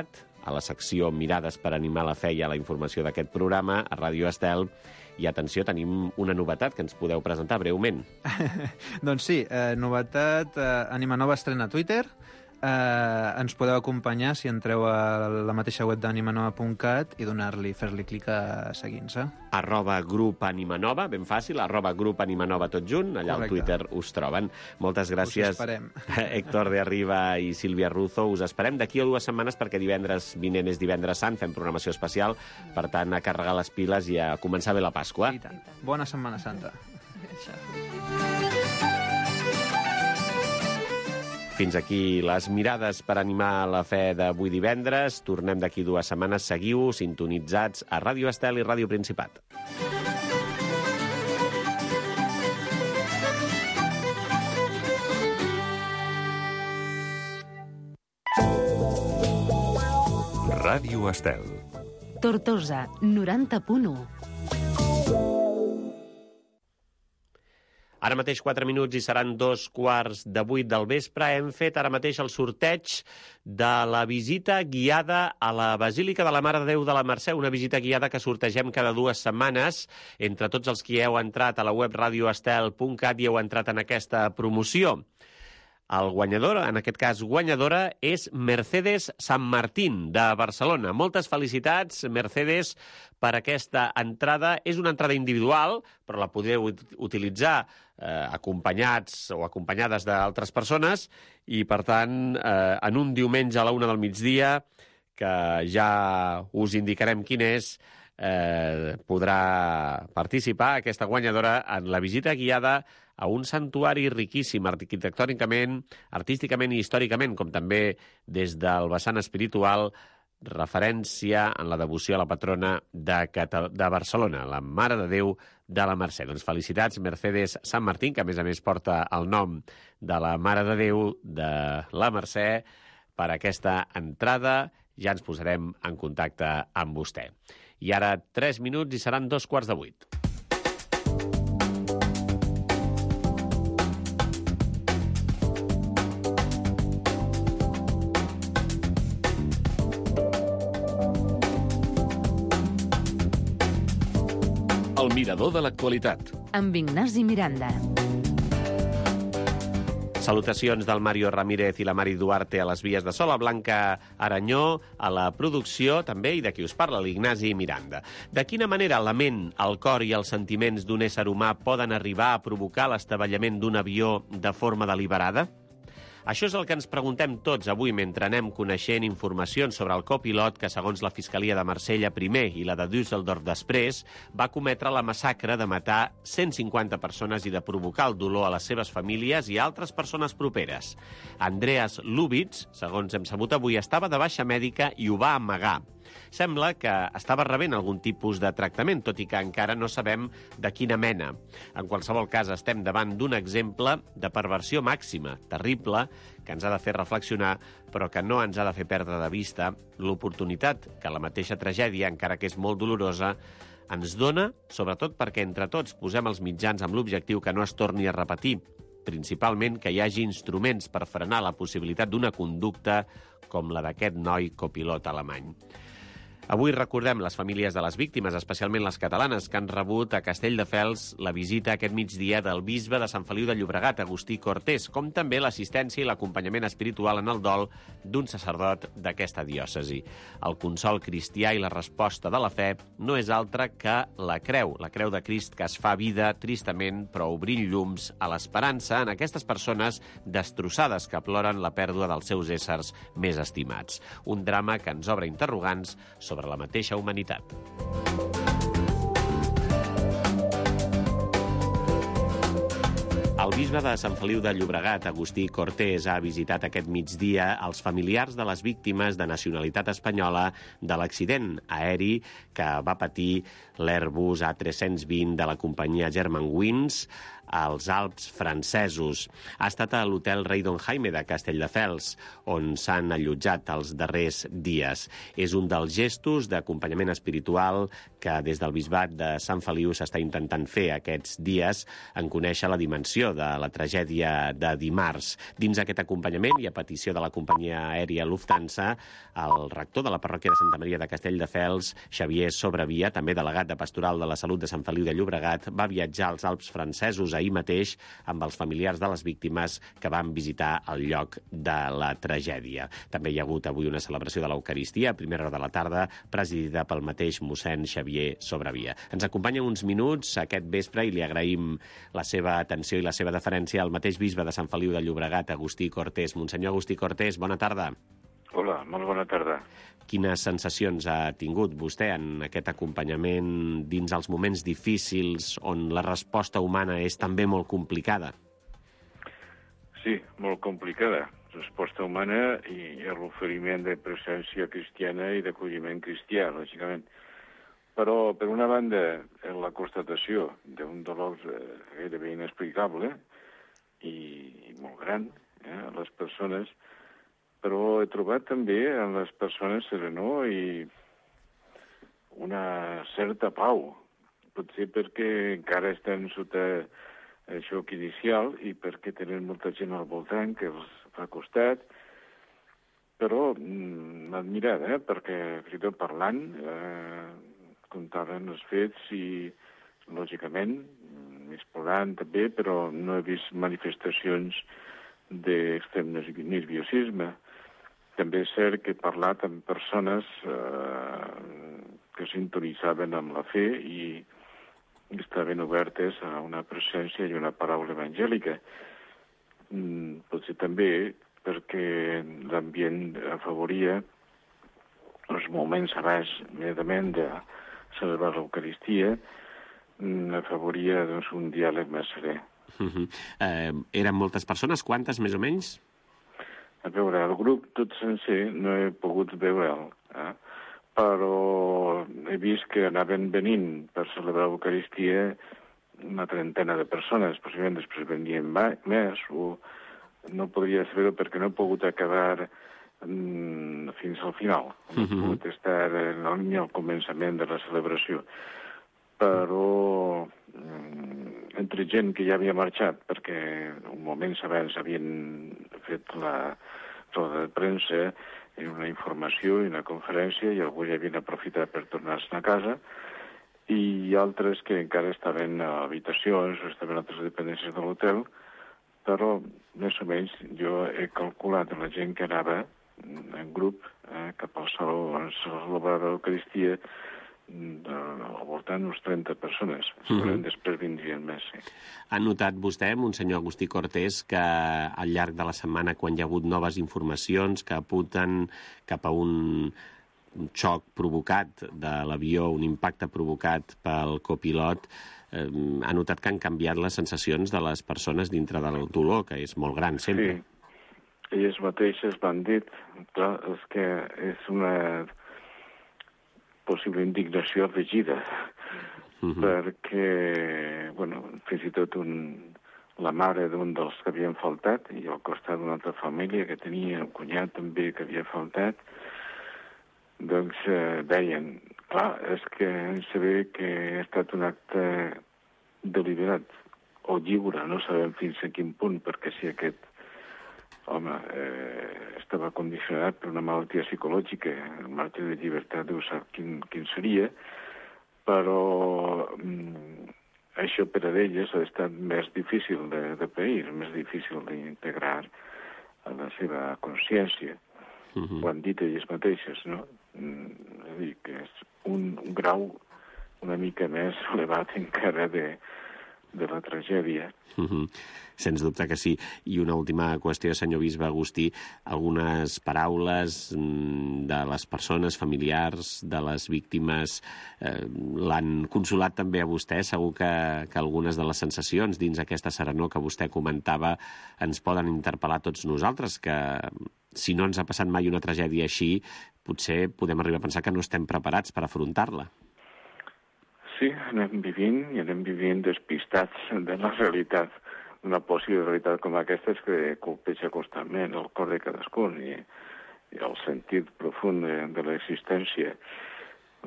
Puncat, a la secció Mirades per animar la fe i a la informació d'aquest programa, a Ràdio Estel. I atenció, tenim una novetat que ens podeu presentar breument. Doncs sí, novetat, Ànima Nova estrena Twitter. Ens podeu acompanyar si entreu a la mateixa web d'animanova.cat i fer-li clic a seguir-se. @grup Ànima Nova, ben fàcil, @grup Ànima Nova tot junt, allà al Twitter us troben. Moltes gràcies, us esperem. Héctor de Arriba i Sílvia Ruzo. Us esperem d'aquí a 2 setmanes perquè divendres vinent és Divendres Sant, fem programació especial, per tant, a carregar les piles i a començar bé la Pasqua. I tant. Bona Setmana Santa. Fins aquí les mirades per animar la fe d'avui divendres. Tornem d'aquí 2 setmanes. Seguiu sintonitzats a Ràdio Estel i Ràdio Principat. Ràdio Estel. Tortosa, 90.1. Ara mateix 4 minuts i seran 2:15 del vespre. Hem fet ara mateix el sorteig de la visita guiada a la Basílica de la Mare de Déu de la Mercè, una visita guiada que sortegem cada 2 setmanes. Entre tots els qui heu entrat a la web radioestel.cat i heu entrat en aquesta promoció. El guanyador, en aquest cas guanyadora, és Mercedes San Martín, de Barcelona. Moltes felicitats, Mercedes, per aquesta entrada. És una entrada individual, però la podeu utilitzar acompanyats o acompanyades d'altres persones i, per tant, en un diumenge a la 1 del migdia, que ja us indicarem quin és, podrà participar aquesta guanyadora en la visita guiada a un santuari riquíssim arquitectònicament, artísticament i històricament, com també des del vessant espiritual, referència en la devoció a la patrona de Barcelona, la Mare de Déu de la Mercè. Doncs felicitats, Mercedes San Martín, que a més porta el nom de la Mare de Déu de la Mercè, per aquesta entrada. Ja ens posarem en contacte amb vostè. I ara 3 minuts i seran 7:15. El mirador de l'actualitat. Amb Ignasi Miranda. Salutacions del Mario Ramírez i la Mari Duarte a les vies de so, la Blanca Aranyó a la producció, també, i de qui us parla, l'Ignasi Miranda. De quina manera la ment, el cor i els sentiments d'un ésser humà poden arribar a provocar l'estabelliment d'un avió de forma deliberada? Això és el que ens preguntem tots avui mentre anem coneixent informacions sobre el copilot que, segons la Fiscalia de Marsella primer i la de Düsseldorf després, va cometre la massacre de matar 150 persones i de provocar el dolor a les seves famílies i a altres persones properes. Andreas Lubitz, segons hem sabut avui, estava de baixa mèdica i ho va amagar. Sembla que estava rebent algun tipus de tractament, tot i que encara no sabem de quina mena. En qualsevol cas, estem davant d'un exemple de perversió màxima, terrible, que ens ha de fer reflexionar, però que no ens ha de fer perdre de vista l'oportunitat que la mateixa tragèdia, encara que és molt dolorosa, ens dona, sobretot perquè entre tots posem els mitjans amb l'objectiu que no es torni a repetir, principalment que hi hagi instruments per frenar la possibilitat d'una conducta com la d'aquest noi copilot alemany. Avui recordem les famílies de les víctimes, especialment les catalanes, que han rebut a Castelldefels la visita aquest migdia del bisbe de Sant Feliu de Llobregat, Agustí Cortés, com també l'assistència i l'acompanyament espiritual en el dol d'un sacerdot d'aquesta diòcesi. El consol cristià i la resposta de la fe no és altra que la creu de Crist que es fa vida tristament, però obrint llums a l'esperança en aquestes persones destrossades que ploren la pèrdua dels seus éssers més estimats. Un drama que ens obre interrogants sobre la mateixa humanitat. El bisbe de Sant Feliu de Llobregat, Agustí Cortés, ha visitat aquest migdia els familiars de les víctimes de nacionalitat espanyola de l'accident aeri que va patir l'Airbus A320 de la companyia Germanwings als Alps francesos. Ha estat a l'hotel Rei Don Jaime de Castelldefels, on s'han allotjat els darrers dies. És un dels gestos d'acompanyament espiritual que des del bisbat de Sant Feliu s'està intentant fer aquests dies en conèixer la dimensió de la tragèdia de dimarts. Dins aquest acompanyament i a petició de la companyia aèria Lufthansa, el rector de la parròquia de Santa Maria de Castelldefels, Xavier Sobrevia, també delegat de Pastoral de la Salut de Sant Feliu de Llobregat, va viatjar als Alps francesos ahir mateix amb els familiars de les víctimes que van visitar el lloc de la tragèdia. També hi ha hagut avui una celebració de l'Eucaristia a primera hora de la tarda, presidida pel mateix mossèn Xavier Sobrevia. Ens acompanya uns minuts aquest vespre i li agraïm la seva atenció i la seva deferència al mateix bisbe de Sant Feliu de Llobregat, Agustí Cortés. Monsenyor Agustí Cortés, bona tarda. Hola, molt bona tarda. Quines sensacions ha tingut vostè en aquest acompanyament dins els moments difícils on la resposta humana és també molt complicada? Sí, molt complicada. Resposta humana i l'oferiment de presència cristiana i d'acolliment cristià, lògicament. Però, per una banda, la constatació d'un dolor gairebé inexplicable i molt gran a les persones, però he trobat també en les persones serenor i una certa pau. Potser perquè encara estan sota el xoc inicial i perquè tenen molta gent al voltant que els fa costat, però m'ha admirat, perquè fins i tot parlant contaven els fets i, lògicament, més plorant també, però no he vist manifestacions d'extrem nerviosisme. També és cert que he parlat amb persones que sintonitzaven amb la fe i estaven obertes a una presència i una paraula evangèlica. Potser també perquè l'ambient afavoria els moments abans, immediatament, de celebrar l'Eucaristia, afavoria doncs, un diàleg més serè. Eren moltes persones? Quantes, més o menys? A veure, el grup tot sencer no he pogut veure'l, però he vist que anaven venint per celebrar l'Eucaristia una trentena de persones, possiblement després venien més, o no podria saber-ho perquè no he pogut acabar fins al final. No he pogut estar en la línia al començament de la celebració. Però entre gent que ja havia marxat, perquè un moment abans havien fet la roda de premsa i una informació i una conferència i algú ja havien aprofitat per tornar-se a casa, i altres que encara estaven a habitacions o estaven a altres dependències de l'hotel, però més o menys jo he calculat la gent que anava en grup cap al saló on se celebrava l'Eucaristia al voltant d'uns 30 persones. Segurament després vindrien més, sí. Ha notat vostè, Monsenyor Agustí Cortés, que al llarg de la setmana, quan hi ha hagut noves informacions que apunten cap a un xoc provocat de l'avió, un impacte provocat pel copilot, ha notat que han canviat les sensacions de les persones dintre del dolor, que és molt gran sempre. Sí, elles mateixes m'han dit, clar, és que és una possible indignació afegida, perquè, bueno, fins i tot la mare d'un dels que havien faltat i al costat d'una altra família que tenia un cunyat també que havia faltat, doncs deien, clar, és que saber que ha estat un acte deliberat o lliure, no sabem fins a quin punt, perquè si aquest home estava condicionat per una malaltia psicològica, el marge de llibertat deu saber quin seria, però això per a elles ha estat més difícil de pair, més difícil d'integrar a la seva consciència. Ho han dit elles mateixes, no? És a dir, que és un grau una mica més elevat encara de la tragèdia. Sens dubte que sí. I una última qüestió, senyor bisbe Agustí, algunes paraules de les persones familiars, de les víctimes, l'han consolat també a vostè? Segur que algunes de les sensacions dins aquesta serenor que vostè comentava ens poden interpel·lar tots nosaltres, que si no ens ha passat mai una tragèdia així, potser podem arribar a pensar que no estem preparats per afrontar-la. Sí, anem vivint despistats de la realitat. Una possible realitat com aquesta és que colpeja constantment el cor de cadascun i el sentit profund de l'existència.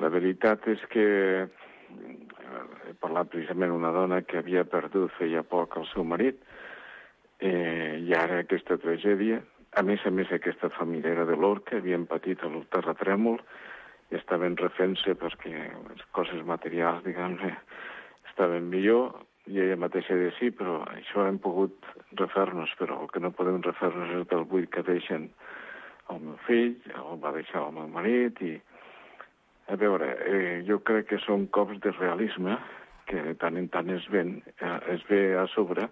La veritat és que he parlat precisament d'una dona que havia perdut feia poc el seu marit I ara aquesta tragèdia, a més aquesta família era de l'Orca, havien patit el terratrèmol i estaven refent-se perquè les coses materials, diguem-ne, estaven millor, i ella mateixa deia sí, però això hem pogut refer-nos, però el que no podem refer-nos és el buit que deixen el meu fill, el va deixar el meu marit, i a veure, jo crec que són cops de realisme que de tant en tant es ve a sobre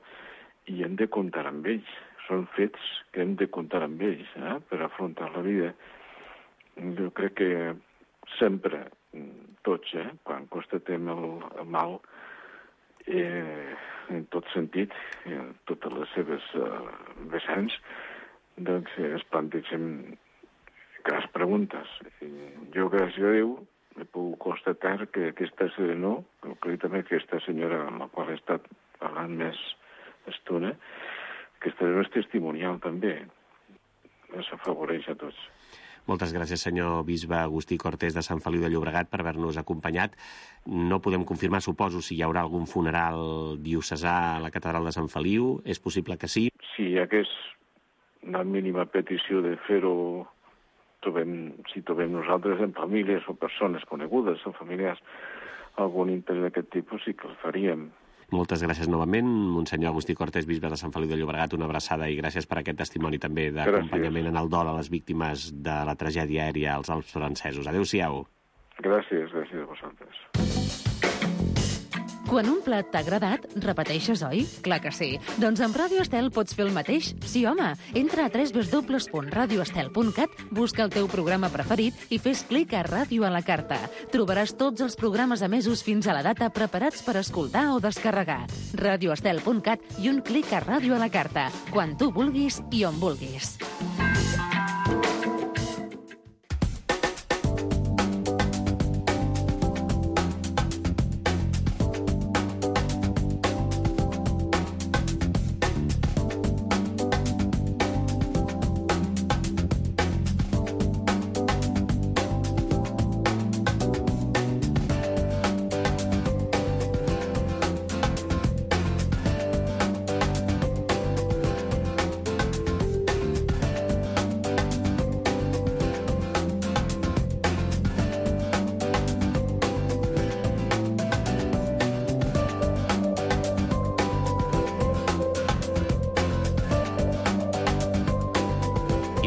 i hem de comptar amb ells. Són fets que hem de comptar amb ells per afrontar la vida. Jo crec que sempre, tots, quan constatem el mal, en tot sentit, en totes les seves vessants, doncs es plantegem grans preguntes. Jo, gràcies a Déu, he pogut constatar que aquesta serenor, concretament aquesta senyora amb la qual he estat parlant més estona, aquesta és testimonial també. Això afavoreix a tots. Moltes gràcies, senyor bisbe Agustí Cortés de Sant Feliu de Llobregat, per haver-nos acompanyat. No podem confirmar, suposo, si hi haurà algun funeral diocesà a la catedral de Sant Feliu. És possible que sí? Si hi hagués una mínima petició de fer-ho, si trobem nosaltres en famílies o persones conegudes o familiars algun interès d'aquest tipus, sí que el faríem. Moltes gràcies novament, Monsenyor Agustí Cortés, bisbe de Sant Feliu de Llobregat, una abraçada i gràcies per aquest testimoni també d'acompanyament en el dol a les víctimes de la tragèdia aèria als Alps francesos. Adéu-siau. Gràcies a vosaltres. Quan un plat t'ha agradat, repeteixes, oi? Clar que sí. Doncs amb Ràdio Estel pots fer el mateix? Sí, home. Entra a www.radioestel.cat, busca el teu programa preferit i fes clic a Ràdio a la carta. Trobaràs tots els programes emesos fins a la data preparats per escoltar o descarregar. radioestel.cat i un clic a Ràdio a la carta. Quan tu vulguis i on vulguis.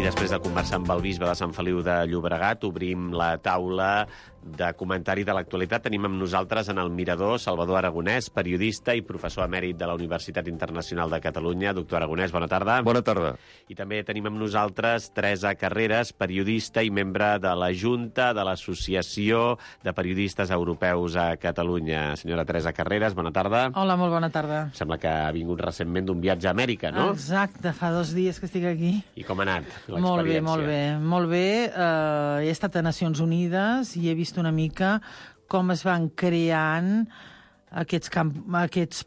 Després de conversar amb el bisbe de Sant Feliu de Llobregat, obrim la taula de comentari de l'actualitat. Tenim amb nosaltres en el mirador Salvador Aragonès, periodista i professor emèrit de la Universitat Internacional de Catalunya. Doctor Aragonès, bona tarda. Bona tarda. I també tenim amb nosaltres Teresa Carreras, periodista i membre de la Junta de l'Associació de Periodistes Europeus a Catalunya. Senyora Teresa Carreras, bona tarda. Hola, molt bona tarda. Sembla que ha vingut recentment d'un viatge a Amèrica, no? Exacte, fa 2 dies que estic aquí. I com ha anat l'experiència? Molt bé. He estat a Nacions Unides i he vist una mica com es van creant aquests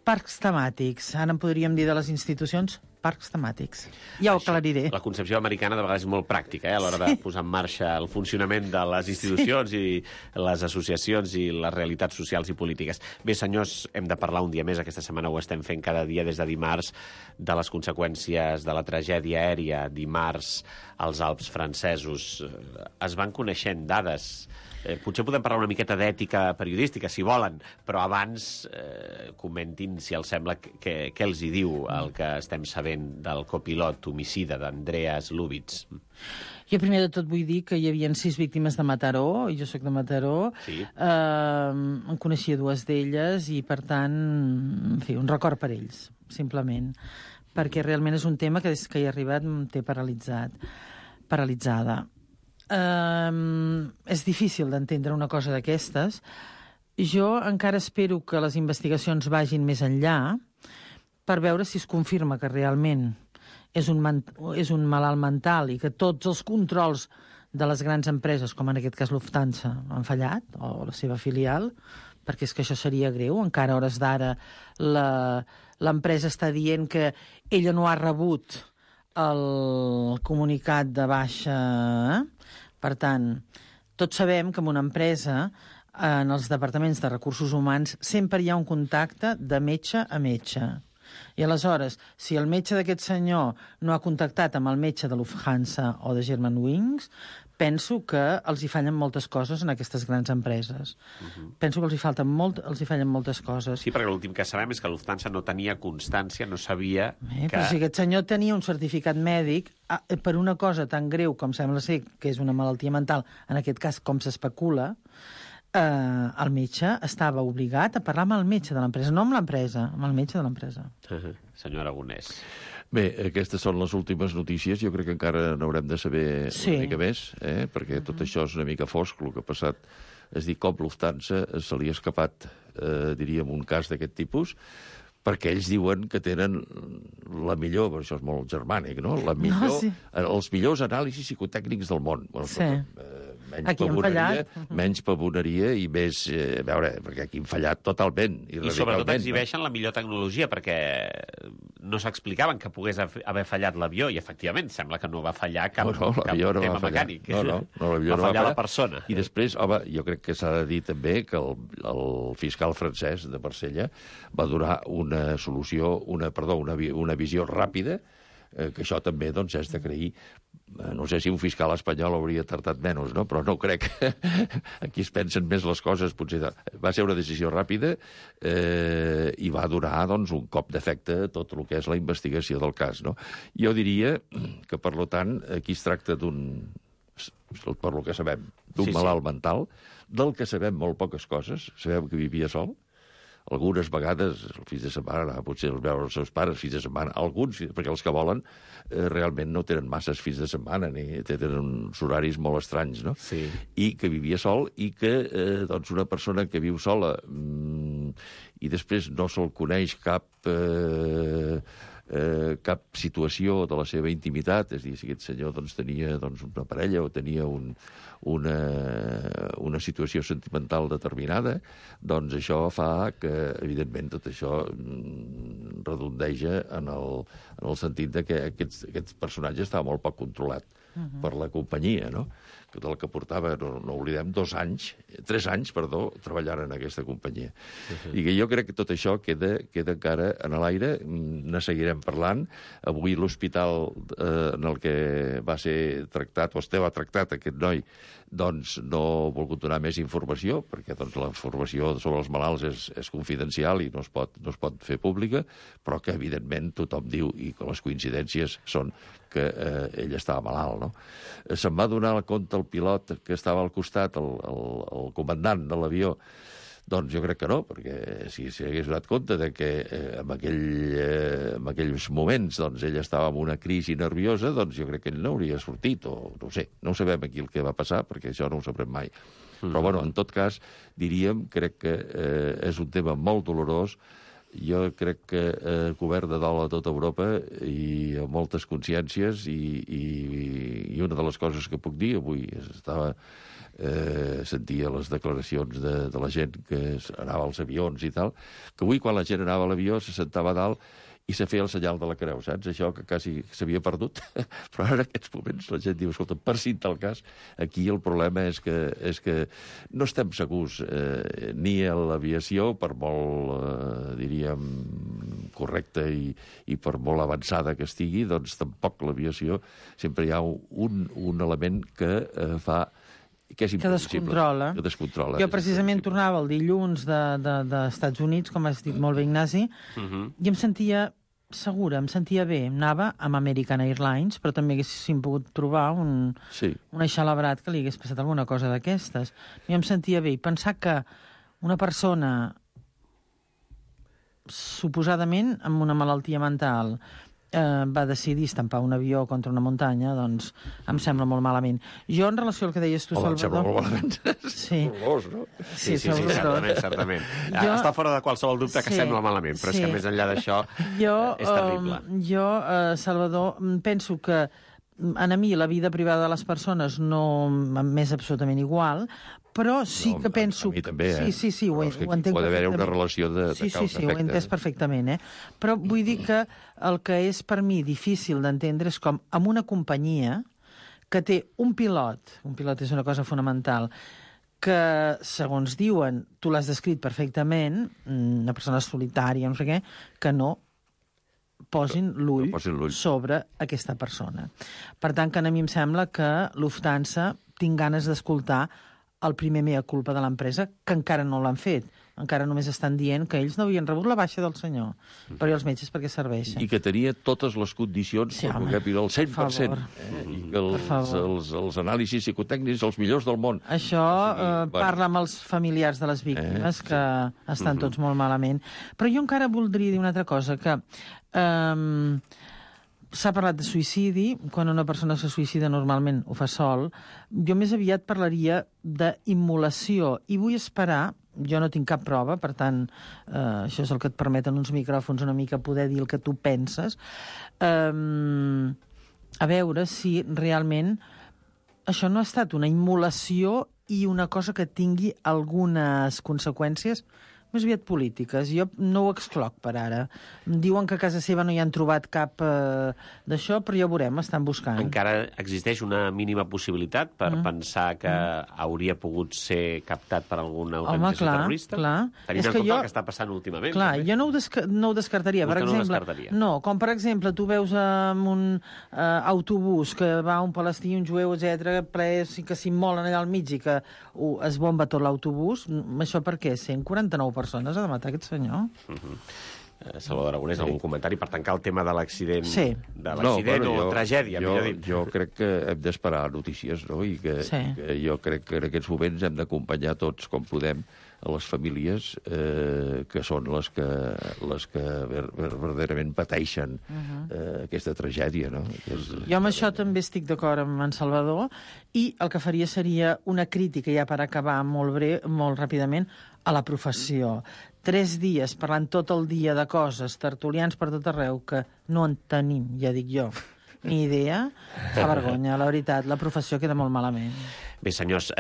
parcs temàtics. Ara en podríem dir de les institucions parcs temàtics. Ja ho aclariré. La concepció americana de vegades és molt pràctica, a l'hora de posar en marxa el funcionament de les institucions i les associacions i les realitats socials i polítiques. Bé, senyors, hem de parlar un dia més. Aquesta setmana ho estem fent cada dia des de dimarts de les conseqüències de la tragèdia aèria. Dimarts als Alps francesos es van coneixent dades. Potser podem parlar una miqueta d'ètica periodística, si volen, però abans comentin, si els sembla, què els hi diu el que estem sabent del copilot homicida d'Andreas Lubitz. Jo primer de tot vull dir que hi havia 6 víctimes de Mataró, i jo sóc de Mataró. Sí. En coneixia 2 d'elles i, per tant, en fi, un record per ells, simplement. Perquè realment és un tema que des que hi he arribat em té paralitzada. És difícil d'entendre una cosa d'aquestes. Jo encara espero que les investigacions vagin més enllà per veure si es confirma que realment és un malalt mental i que tots els controls de les grans empreses, com en aquest cas Lufthansa, han fallat, o la seva filial, perquè és que això seria greu. Encara a hores d'ara l'empresa està dient que ella no ha rebut el comunicat de baixa. Per tant, tots sabem que en una empresa, en els departaments de recursos humans, sempre hi ha un contacte de metge a metge. I aleshores, si el metge d'aquest senyor no ha contactat amb el metge de Lufthansa o de Germanwings, penso que els hi fallen moltes coses en aquestes grans empreses. Penso que els hi fallen moltes coses. Sí, perquè l'últim que sabem és que Lufthansa no tenia constància, no sabia que... Però si aquest senyor tenia un certificat mèdic per una cosa tan greu com sembla ser que és una malaltia mental, en aquest cas com s'especula, el metge estava obligat a parlar amb el metge de l'empresa, no amb l'empresa, amb el metge de l'empresa. Senyor Aragonès. Bé, aquestes són les últimes notícies. Jo crec que encara n'haurem de saber una mica més, perquè tot això és una mica fosc, el que ha passat. És dir, com Lufthansa se li ha escapat, diríem, un cas d'aquest tipus, perquè ells diuen que tenen la millor, però això és molt germànic, no? Els millors anàlisis psicotècnics del món. Bueno, sí. Menys pavoneria i més... a veure, perquè aquí hem fallat totalment i radicalment. I sobretot exhibeixen la millor tecnologia, perquè no s'explicaven que pogués haver fallat l'avió, i efectivament sembla que no va fallar cap tema mecànic. No, va fallar la persona. I després, home, jo crec que s'ha de dir també que el fiscal francès de Marsella va donar una solució, una visió ràpida, que això també doncs, és d'agrair. No sé si un fiscal espanyol hauria tardat menys, no? Però no crec. Aquí es pensen més les coses. Potser va ser una decisió ràpida i va donar doncs, un cop d'efecte a tot el que és la investigació del cas. No? Jo diria que, per tant, aquí es tracta per lo que sabem, d'un malalt mental, del que sabem molt poques coses. Sabem que vivia sol. Algunes vegades, el fills de setmana, potser els veure els seus pares, fills de setmana, alguns, perquè els que volen realment no tenen masses fills de setmana, ni tenen uns horaris molt estranys, no? Sí. I que vivia sol, i que doncs una persona que viu sola i després no se'l coneix cap situació de la seva intimitat, és a dir, si aquest senyor doncs, tenia una parella o tenia una situació sentimental determinada, doncs això fa que, evidentment, tot això redondeja en el sentit de que aquest personatge estava molt poc controlat per la companyia, no? Del que portava, no oblidem, 3 anys, treballant en aquesta companyia. I que jo crec que tot això queda encara en l'aire, ne seguirem parlant. Avui l'hospital en el que va ser tractat, o estava tractat aquest noi, doncs no ha volgut donar més informació, perquè doncs, la informació sobre els malalts és confidencial i no es pot fer pública, però que evidentment tothom diu, i que les coincidències són que ell estava malalt, no? Se'n va donar compte el pilot que estava al costat, el comandant de l'avió. Doncs jo crec que no, perquè si hagués donat compte de que en aquells moments doncs, ell estava en una crisi nerviosa, doncs jo crec que ell no hauria sortit, o no ho sé, no ho sabem aquí el que va passar, perquè això no ho sabrem mai. Però, bueno, en tot cas, crec que és un tema molt dolorós. Jo crec que cobert de dol a tota Europa i amb moltes consciències, i una de les coses que puc dir avui sentia les declaracions de la gent que anava als avions i tal, que avui quan la gent anava a l'avió se sentava a dalt i se feia el senyal de la creu, saps? Això que quasi s'havia perdut. Però ara en aquests moments la gent diu, escolta, per si en tal cas, aquí el problema és que no estem segurs ni a l'aviació, per molt, diríem, correcta i per molt avançada que estigui, doncs tampoc l'aviació sempre hi ha un element que fa que és imprevisible. Que descontrola. Jo precisament tornava el dilluns dels Estats Units, com has dit molt bé, Ignasi, i em sentia segura, em sentia bé. Anava amb American Airlines, però també haguéssim pogut trobar un eixalabrat que li hagués passat alguna cosa d'aquestes. I em sentia bé. I pensar que una persona suposadament amb una malaltia mental va decidir estampar un avió contra una muntanya, doncs em sembla molt malament. Jo, en relació al que deies tu, Salvador... Em sembla molt malament. Sí. No? Sí, certament. Està fora de qualsevol dubte que sembla malament, però és que més enllà d'això és terrible. Jo, Salvador, penso que a mi la vida privada de les persones no m'és absolutament igual, però sí que penso... A mi també, Sí, ho entenc perfectament. Pot haver una relació de causa-efecte. Sí, ho he entès perfectament, Però vull dir que el que és per mi difícil d'entendre és com amb una companyia que té un pilot és una cosa fonamental, que, segons diuen, tu l'has descrit perfectament, una persona solitària, no sé què, que no posin l'ull sobre aquesta persona. Per tant, que a mi em sembla que Lufthansa tinc ganes d'escoltar el primer mea culpa de l'empresa, que encara no l'han fet. Encara només estan dient que ells no havien rebut la baixa del senyor. Però i els metges per què serveixen? I que tenia totes les condicions per poder pirar el 100%. I que els anàlisis psicotècnics els millors del món. Això parla amb els familiars de les víctimes, que estan tots molt malament. Però jo encara voldria dir una altra cosa, que s'ha parlat de suïcidi. Quan una persona se suïcida normalment ho fa sol. Jo més aviat parlaria d'immolació. I vull esperar, jo no tinc cap prova, per tant, això és el que et permeten uns micròfons una mica poder dir el que tu penses, a veure si realment això no ha estat una immolació i una cosa que tingui algunes conseqüències més aviat polítiques. Jo no ho excloc per ara. Diuen que a casa seva no hi han trobat cap d'això, però ja ho veurem, estan buscant. Encara existeix una mínima possibilitat per pensar que hauria pogut ser captat per alguna organització terrorista? Clar. Tenint en compte el que està passant últimament. Clar, jo no ho descartaria. Vostè no ho descartaria? No, com per exemple, tu veus en un autobús que va un palestí, un jueu, etc, ple, que s'immolen allà al mig i que es bomba tot l'autobús. Això per què? 149 persones ha de matar aquest senyor? Salvador Aragonès, algun comentari per tancar el tema de l'accident? Sí. De l'accident o tragèdia, millor dit. Jo crec que hem d'esperar notícies, no? I que jo crec que en aquests moments hem d'acompanyar tots com podem a les famílies que són les que verdaderament pateixen aquesta tragèdia, no? Jo amb això també estic d'acord amb en Salvador, i el que faria seria una crítica, ja per acabar molt ràpidament, a la professió. 3 dies parlant tot el dia de coses, tertulians per tot arreu, que no en tenim, ja dic jo, ni idea, fa vergonya, la veritat, la professió queda molt malament. Bé, senyors,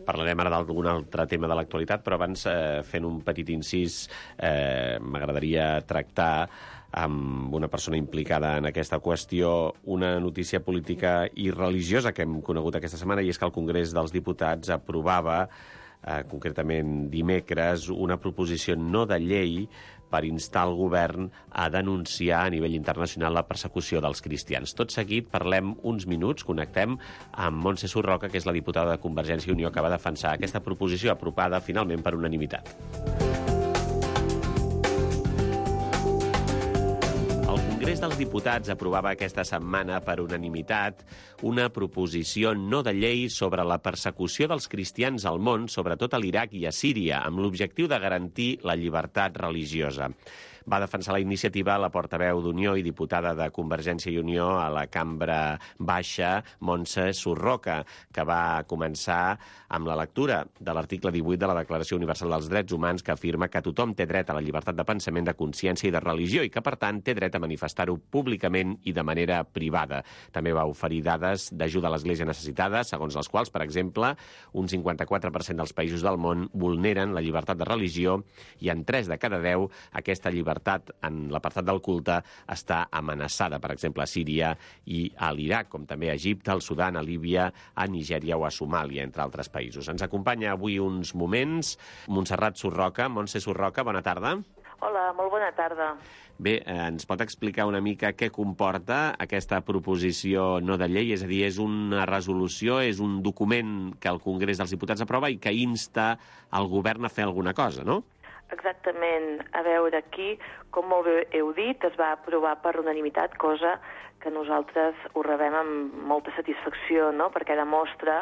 parlarem ara d'algun altre tema de l'actualitat, però abans, fent un petit incís, m'agradaria tractar amb una persona implicada en aquesta qüestió una notícia política i religiosa que hem conegut aquesta setmana, i és que el Congrés dels Diputats aprovava concretament dimecres, una proposició no de llei per instar el govern a denunciar a nivell internacional la persecució dels cristians. Tot seguit parlem uns minuts, connectem amb Montse Surroca, que és la diputada de Convergència i Unió que va defensar aquesta proposició aprovada finalment per unanimitat. El Congrés dels Diputats aprovava aquesta setmana per unanimitat una proposició no de llei sobre la persecució dels cristians al món, sobretot a l'Iraq i a Síria, amb l'objectiu de garantir la llibertat religiosa. Va defensar la iniciativa la portaveu d'Unió i diputada de Convergència i Unió a la Cambra Baixa, Montse Surroca, que va començar amb la lectura de l'article 18 de la Declaració Universal dels Drets Humans, que afirma que tothom té dret a la llibertat de pensament, de consciència i de religió, i que, per tant, té dret a manifestar-ho públicament i de manera privada. També va oferir dades d'ajuda a l'Església necessitada, segons les quals, per exemple, un 54% dels països del món vulneren la llibertat de religió i en 3 de cada 10 aquesta llibertat en l'apartat del culte està amenaçada, per exemple, a Síria i a l'Iraq, com també a Egipte, al Sudan, a Líbia, a Nigèria o a Somàlia, entre altres països. Ens acompanya avui uns moments Montserrat Surroca. Montse Surroca, bona tarda. Hola, molt bona tarda. Bé, ens pot explicar una mica què comporta aquesta proposició no de llei? És a dir, és una resolució, és un document que el Congrés dels Diputats aprova i que insta el govern a fer alguna cosa, no? Exactament. A veure, aquí, com molt bé heu dit, es va aprovar per unanimitat, cosa que nosaltres ho rebem amb molta satisfacció, no?, perquè demostra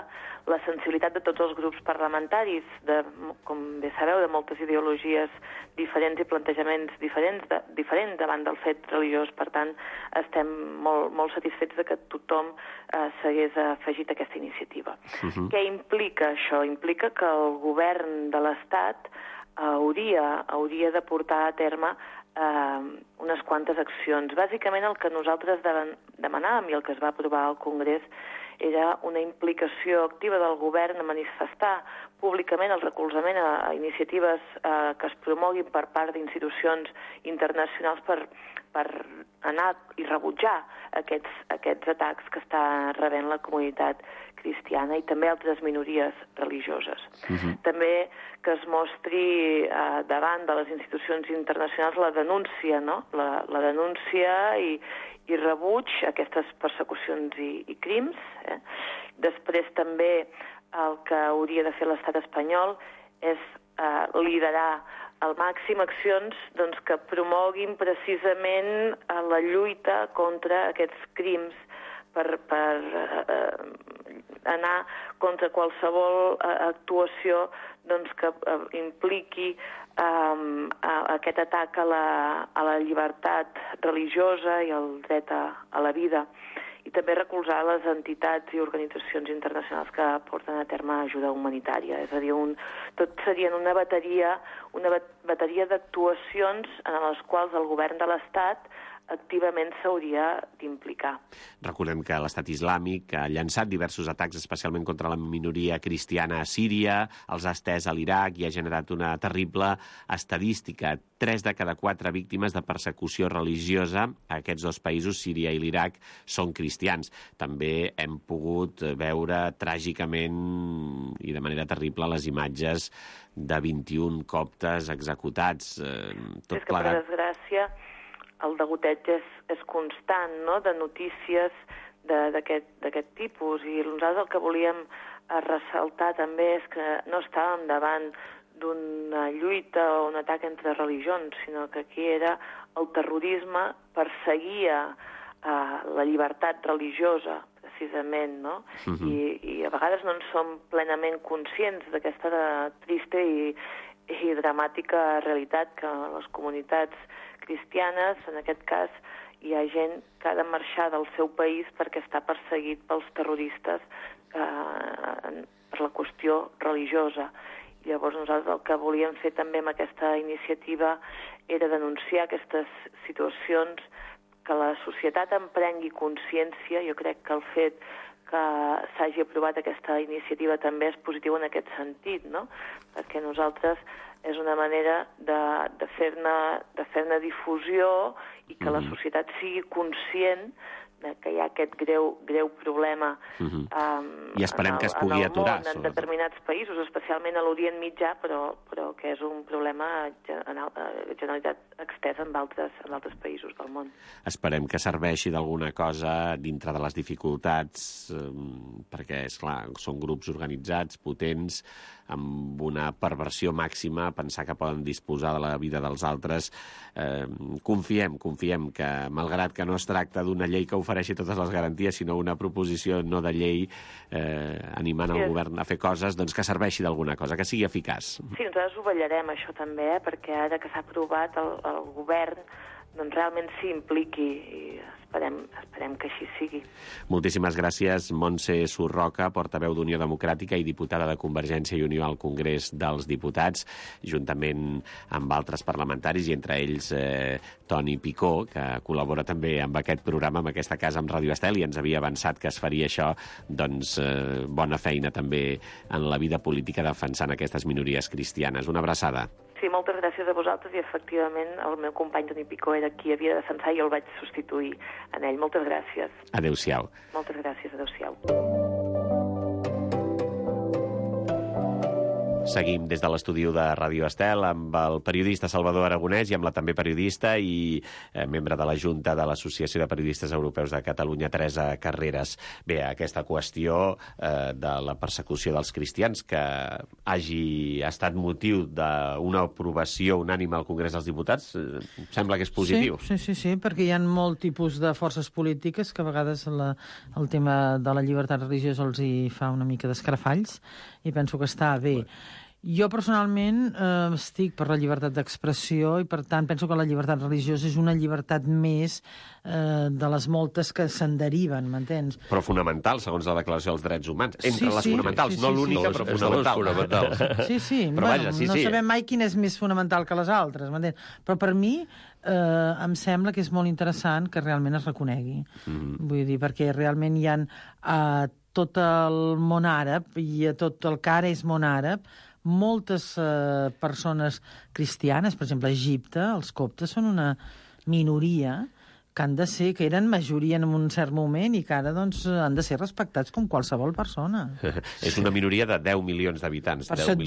la sensibilitat de tots els grups parlamentaris, com bé sabeu, de moltes ideologies diferents i plantejaments diferents davant del fet religiós. Per tant, estem molt satisfets de que tothom s'hagués afegit a aquesta iniciativa. Què implica això? Implica que el govern de l'Estat hauria de portar a terme unes quantes accions. Bàsicament el que nosaltres demanàvem i el que es va aprovar al Congrés era una implicació activa del govern a manifestar públicament el recolzament a iniciatives que es promoguin per part d'institucions internacionals per per anar i rebutjar aquests atacs que està rebent la comunitat cristiana i també altres minories religioses. També que es mostri davant de les institucions internacionals la denúncia, no? La denúncia i rebuig a aquestes persecucions i crims. Després també el que hauria de fer l'estat espanyol és liderar al màxim accions que promoguin precisament la lluita contra aquests crims per anar contra qualsevol actuació que impliqui aquest atac a la llibertat religiosa i al dret a la vida, i també recolzar les entitats i organitzacions internacionals que porten a terme ajuda humanitària. És a dir, tot serien una bateria d'actuacions en les quals el govern de l'Estat activament s'hauria d'implicar. Recordem que l'Estat Islàmic ha llançat diversos atacs, especialment contra la minoria cristiana a Síria, els ha estès a l'Iraq i ha generat una terrible estadística. 3 de cada 4 víctimes de persecució religiosa a aquests dos països, Síria i l'Iraq, són cristians. També hem pogut veure tràgicament i de manera terrible les imatges de 21 coptes executats. Tot és que, per desgràcia, el degoteig és constant, no?, de notícies d'aquest tipus, i nosaltres el que volíem ressaltar també és que no estàvem davant d'una lluita o un atac entre religions, sinó que aquí era el terrorisme, perseguia la llibertat religiosa, precisament, no? I a vegades no en som plenament conscients d'aquesta trista i dramàtica realitat que les comunitats cristianes, en aquest cas, hi ha gent que ha de marxar del seu país perquè està perseguit pels terroristes per la qüestió religiosa. I llavors nosaltres el que volíem fer també amb aquesta iniciativa era denunciar aquestes situacions, que la societat en prengui consciència. Jo crec que el fet que s'hagi aprovat aquesta iniciativa també és positiu en aquest sentit, no? Perquè nosaltres és una manera de fer-ne difusió i que la societat sigui conscient que hi ha aquest greu problema i esperem que es pugui aturar, en determinats països, especialment a l'Orient Mitjà, però que és un problema generalitat extesa en altres països del món. Esperem que serveixi d'alguna cosa dintre de les dificultats, perquè, esclar, són grups organitzats, potents, amb una perversió màxima, pensar que poden disposar de la vida dels altres. Confiem que, malgrat que no es tracta d'una llei que ofereixi totes les garanties, sinó una proposició no de llei animant el govern a fer coses, doncs que serveixi d'alguna cosa, que sigui eficaç. Sí, nosaltres ho vetllarem, això també, perquè ara que s'ha aprovat el govern doncs realment s'hi impliqui i esperem que així sigui. Moltíssimes gràcies, Montse Surroca, portaveu d'Unió Democràtica i diputada de Convergència i Unió al Congrés dels Diputats, juntament amb altres parlamentaris, i entre ells Toni Picó, que col·labora també amb aquest programa, amb aquesta casa, amb Ràdio Estel, i ens havia avançat que es faria això. Doncs bona feina també en la vida política defensant aquestes minories cristianes. Una abraçada. Sí, moltes gràcies a vosaltres, i efectivament el meu company Toni Picó era qui havia de defensar i jo el vaig substituir en ell. Moltes gràcies. Adéu-siau. Moltes gràcies, adéu-siau. Seguim des de l'estudi de Ràdio Estel amb el periodista Salvador Aragonès i amb la també periodista i membre de la Junta de l'Associació de Periodistes Europeus de Catalunya, Teresa Carreras. Bé, aquesta qüestió de la persecució dels cristians, que hagi estat motiu d'una aprovació unànime al Congrés dels Diputats, sembla que és positiu. Sí, perquè hi ha molt tipus de forces polítiques que a vegades el tema de la llibertat religiosa els hi fa una mica d'escarafalls, i penso que està bé. Jo personalment estic per la llibertat d'expressió i, per tant, penso que la llibertat religiosa és una llibertat més de les moltes que se'n deriven, m'entens? Però fonamental, segons la Declaració dels Drets Humans. Entre les fonamentals, no l'única, però fonamental. Sí. Bueno, no sabem mai quina és més fonamental que les altres, m'entens? Però per mi em sembla que és molt interessant que realment es reconegui. Vull dir, perquè realment hi ha tot el món àrab i a tot el que ara és món àrab, moltes persones cristianes, per exemple, a Egipte, els coptes són minoria, que han de ser, que eren majoria en un cert moment i que ara doncs, han de ser respectats com qualsevol persona. És una minoria de 10 milions d'habitants. Per això et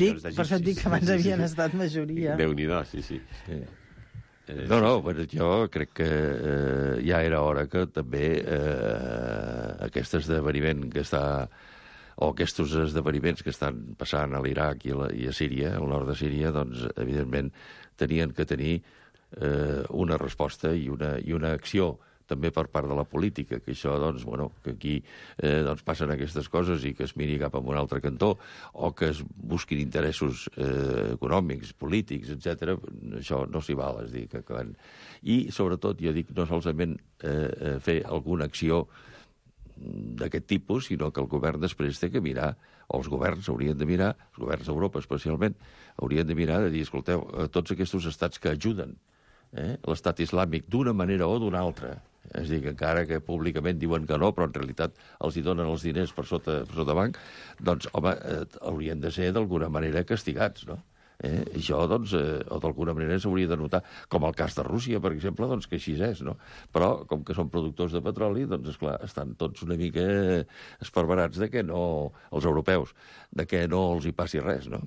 dic que abans havien estat majoria. Déu-n'hi-do, sí. No, jo crec que ja era hora que també aquest esdeveniment que està o aquests esdeveniments que estan passant a l'Iraq i a Síria, al nord de Síria, doncs, evidentment, tenien que tenir una resposta i una acció també per part de la política, que això, doncs, que aquí passen aquestes coses i que es miri cap a un altre cantó o que es busquin interessos econòmics, polítics, etc. Això no s'hi val, és dir, I, sobretot, jo dic, no solament fer alguna acció d'aquest tipus, sinó que el govern després té que mirar, o els governs haurien de mirar, els governs d'Europa especialment, haurien de mirar de dir, escolteu, tots aquests estats que ajuden l'estat islàmic d'una manera o d'una altra, és a dir, que encara que públicament diuen que no, però en realitat els hi donen els diners per sota banc, doncs, home, haurien de ser d'alguna manera castigats, no? Això, doncs, o d'alguna manera s'hauria de notar, com el cas de Rússia, per exemple, doncs que així és, no? Però, com que són productors de petroli, doncs, esclar, estan tots una mica esparverats de que no, els europeus, de que no els hi passi res, no?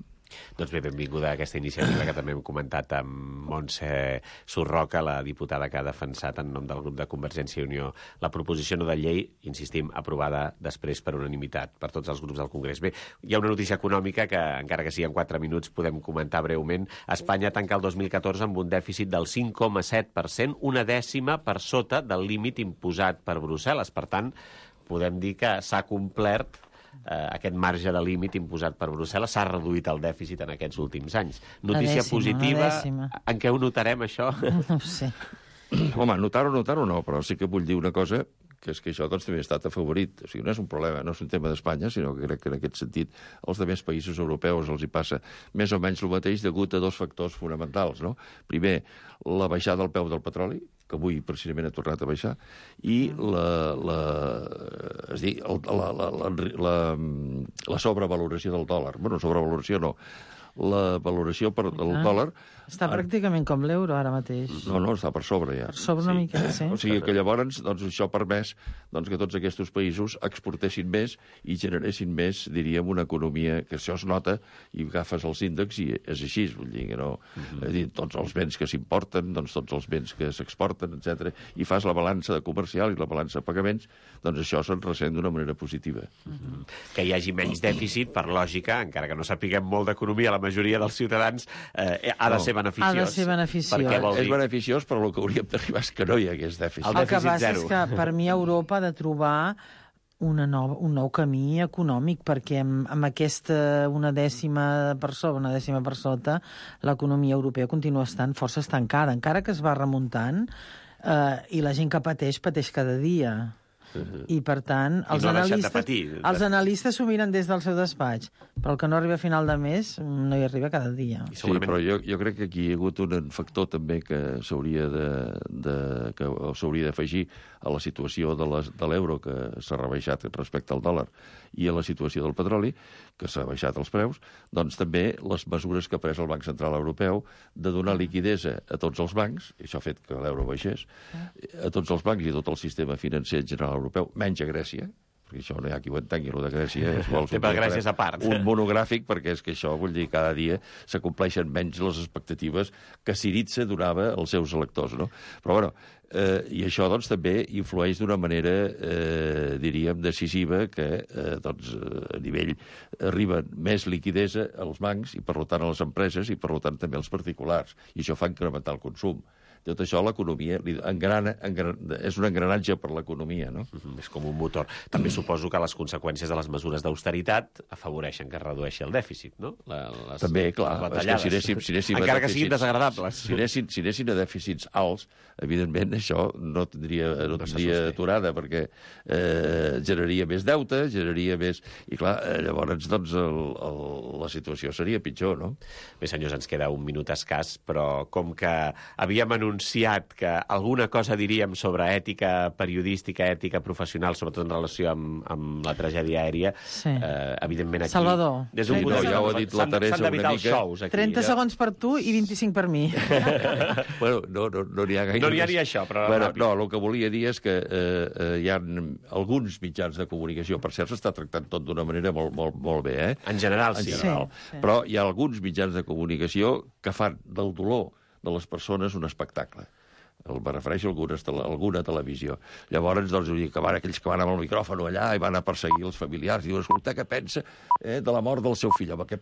Doncs bé, benvinguda a aquesta iniciativa que també hem comentat amb Montse Surroca, la diputada que ha defensat en nom del grup de Convergència i Unió la proposició no de llei, insistim, aprovada després per unanimitat per tots els grups del Congrés. Bé, hi ha una notícia econòmica que, encara que sigui en 4 minuts, podem comentar breument. Espanya tanca el 2014 amb un dèficit del 5,7%, una dècima per sota del límit imposat per Brussel·les. Per tant, podem dir que s'ha complert aquest marge de límit imposat per Brussel·les, s'ha reduït el dèficit en aquests últims anys. Notícia positiva, en què ho notarem, això? No ho sé. Home, notar-ho no, però sí que vull dir una cosa, que és que això doncs, també ha estat afavorit. O sigui, no és un problema, no és un tema d'Espanya, sinó que crec que en aquest sentit als altres països europeus els hi passa més o menys el mateix degut a 2 factors fonamentals, no? Primer, la baixada del preu del petroli, que avui precisament ha tornat a baixar, i la sobrevaloració del dòlar. Bueno, sobrevaloració no. La valoració del dòlar... Està pràcticament com l'euro ara mateix. No, està per sobre ja. Per sobre una mica, sí. O sigui que llavors doncs, això ha permès que tots aquests països exportessin més i generessin més, diríem, una economia que això es nota i agafes els índexs i és així, vull dir que no... És dir, tots els béns que s'importen, doncs tots els béns que s'exporten, etc. I fas la balança comercial i la balança de pagaments, doncs això se'n ressent d'una manera positiva. Que hi hagi menys dèficit, per lògica, encara que no sapiguem molt d'economia, la majoria dels ciutadans ha de ser beneficiós. Ha de ser beneficiós. És beneficiós, però el que hauríem d'arribar és que no hi hagués dèficit. El que passa és que per mi Europa ha de trobar un nou camí econòmic, perquè amb aquesta una dècima per sota, l'economia europea continua estant força estancada, encara que es va remuntant, i la gent que pateix cada dia. I, per tant, els analistes s'ho miren des del seu despatç, però el que no arriba a final de mes no hi arriba cada dia. Sí, però jo crec que aquí hi ha hagut un factor també que s'hauria d'afegir a la situació de l'euro, que s'ha rebaixat respecte al dòlar, i a la situació del petroli, que s'ha baixat els preus, doncs també les mesures que ha pres el Banc Central Europeu de donar liquidesa a tots els bancs, i això ha fet que l'euro baixés, a tots els bancs i a tot el sistema financer general europeu, menys a Grècia, perquè això no hi ha qui ho entengui, el de Grècia és Grècia és a part. Un monogràfic, perquè és que això, vull dir, cada dia s'acompleixen menys les expectatives que Syriza donava als seus electors, no? Però, bueno, i això, doncs, també influeix d'una manera, diríem, decisiva, que, doncs, a nivell arriba més liquidesa als bancs i, per tant, a les empreses i, per tant, també als particulars. I això fa incrementar el consum. Tot això l'economia és un engranatge per l'economia, no? És com un motor. També suposo que les conseqüències de les mesures d'austeritat afavoreixen que es redueixi el dèficit, no? També, clar, és que si anéssim encara que siguin desagradables. Si anessin a dèficits alts, evidentment això no tindria aturada, perquè generaria més deute, generaria més... I clar, llavors, doncs, la situació seria pitjor, no? Bé, senyors, ens queda un minut escàs, però com que havíem anunciat anunciat que alguna cosa diríem sobre ètica periodística, ètica professional, sobretot en relació amb la tragèdia aèria. Sí. Evidentment aquí... Salvador. Des d'un Sí, punt de no, vista, ja ho ha dit la Teresa s'han d'evitar una els mica. xous aquí. 30 segons per tu i 25 per mi. Bueno, no n'hi ha gaire No n'hi ha més. ni això, però Bueno, ràpid. no, el que volia dir és que hi ha alguns mitjans de comunicació, per cert, s'està tractant tot d'una manera molt bé, eh? En general, En sí. general. Sí. Però hi ha alguns mitjans de comunicació que fan del dolor de les persones un espectacle. Me refereixo a alguna televisió. Llavors, doncs, aquells que van amb el micròfon allà i van a perseguir els familiars i diuen, escolta, què pensa de la mort del seu fill? Home, què